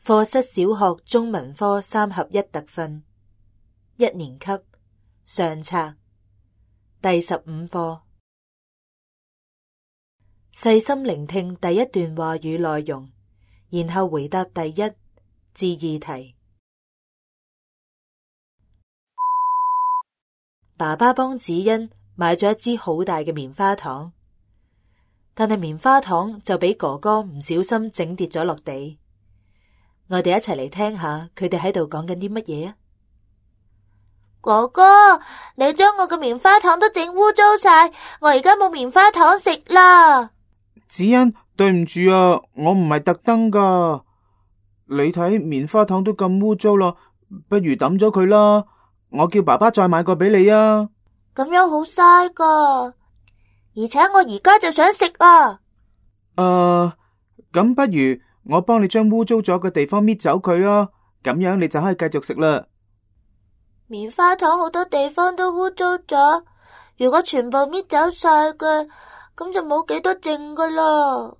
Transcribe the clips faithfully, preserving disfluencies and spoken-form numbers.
課室小學中文科三合一特訓，一年級上冊第十五課。細心聆聽第一段話語內容，然後回答第一至二題。爸爸幫子欣買咗一支好大嘅棉花糖，但係棉花糖就俾哥哥唔小心整跌咗落地。我哋一齊嚟聽下佢哋喺度講緊啲乜嘢啊！哥哥，你將我嘅棉花糖都整污糟晒，我而家冇棉花糖食啦。子欣，對唔住啊，我唔係特登噶。你睇棉花糖都咁污糟啦，不如抌咗佢啦。我叫爸爸再買個俾你啊。咁樣好嘥噶，而且我而家就想食啊。誒、呃，咁不如我幫你將污糟咗嘅地方搣走佢啊，咁樣你就可以繼續食啦。棉花糖好多地方都污糟咗，如果全部搣走晒嘅，咁就冇幾多剩噶啦。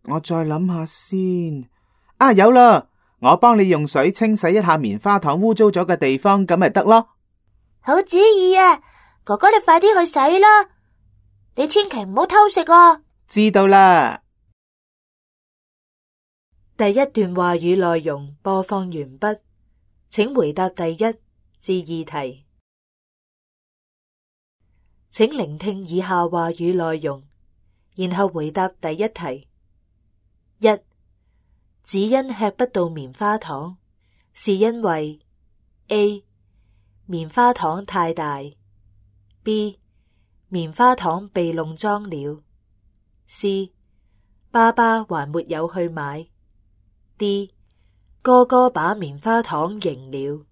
我再諗下先。啊，有啦，我幫你用水清洗一下棉花糖污糟咗嘅地方，咁咪得咯。好主意啊，哥哥你快啲去洗啦，你千祈唔好偷食啊。知道啦。第一段話語內容播放完畢，請回答第一至二題。請聆聽以下話語內容，然後回答第一題。一、子欣吃不到棉花糖，是因為 A. 棉花糖太大， B. 棉花糖被弄髒了， C. 爸爸還沒有去買， D. 哥哥把棉花糖贏了。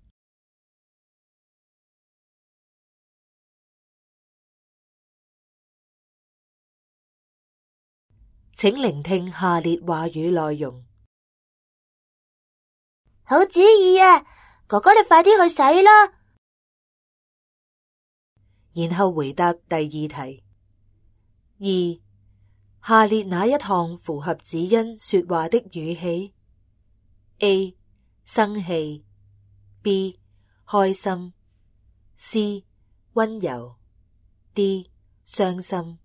請聆聽下列話語內容。好主意啊，哥哥你快啲去洗啦。然後回答第二題。二、下列哪一項符合子欣說話的語氣？ A. 生氣， B. 開心， C. 溫柔， D. 傷心。